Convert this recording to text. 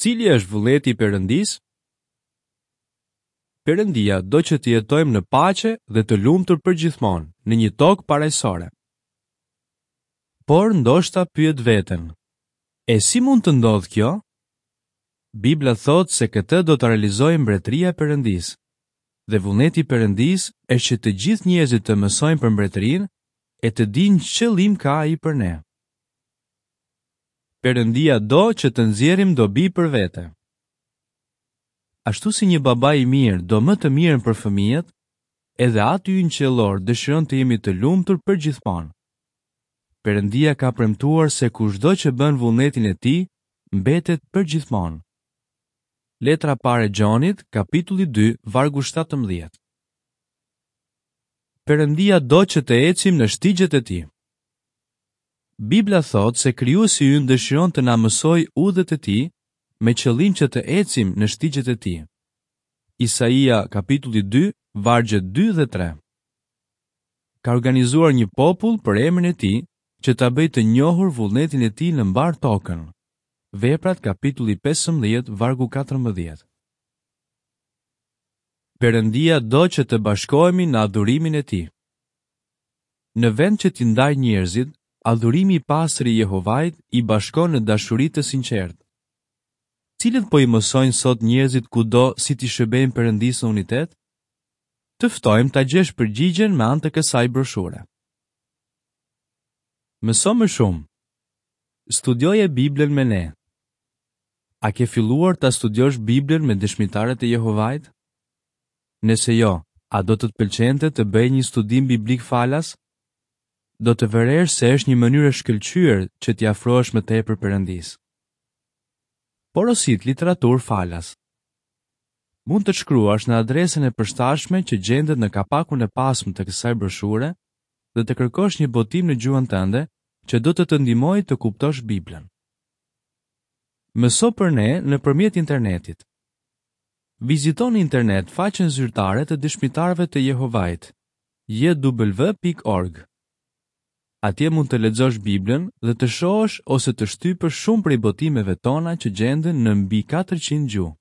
Cili është vullneti i Perëndisë? Perëndia do që të jetojmë në paqe dhe të lumtur përgjithmonë në një tokë parajsore. Por ndoshta pyet veten, e si mund të ndodhë kjo? Bibla thotë se këtë do ta realizojë Mbretëria e Perëndisë. Dhe vullneti i Perëndisë është që të gjithë njerëzit të mësojnë për Mbretërinë e të dinë ç'qëllim ka ai për ne. Perëndia do që të nxjerrim dobi për vete. Ashtu si një baba i mirë do më të mirën për fëmijët, edhe Ati ynë qiellor dëshiron të jemi të lumtur përgjithmonë. Perëndia ka premtuar se kushdo që bën vullnetin e tij, mbetet përgjithmonë. Letra e parë e Gjonit, kapitulli 2, vargu 17. Perëndia do që të ecim në shtigjet e tij. Bibla thotë se Krijuesi ynë dëshiron të na mësojë udhët e tij me qëllim që të ecim në shtigjet e tij. Isaia kapitulli 2, vargjet 2 dhe 3. Ka organizuar një popull për emrin e tij që ta bëjë të njohur vullnetin e tij në mbarë tokën. Veprat kapitulli 15, vargu 14. Perëndia do që të bashkohemi në adhurimin e tij. Në vend që t'i ndajë njerëzit, adhurimi i pastër i Jehovait i bashkon në dashuri të sinqertë. Cilët po i mësojnë sot njerëzit kudo si t'i shërbejnë Perëndisë në unitet? Të ftojmë ta gjesh përgjigjen me anë të kësaj broshure. Mëso më shumë. Studioje Biblën me ne. A ke filluar ta studiosh Biblën me Dëshmitarët e Jehovait? Nëse jo, a do të të pëlqente të bëje një studim biblik falas? Do të vëresh se është një mënyrë e shkëlqyer që t'i afrohesh më tepër Perëndisë. Porosit literaturë falas. Mund të shkruash në adresën e përshtatshme që gjendet në kapakun e pasmë të kësaj broshure dhe të kërkosh një botim në gjuhën tënde që do të të ndihmojë të kuptosh Biblën. Mëso për ne nëpërmjet internetit. Vizito në internet faqen zyrtare të Dëshmitarëve të Jehovait, jw.org. Atje mund të lexosh Biblën dhe të shohësh ose të shtypësh shumë prej botimeve tona që gjenden në mbi 400 gjuhë.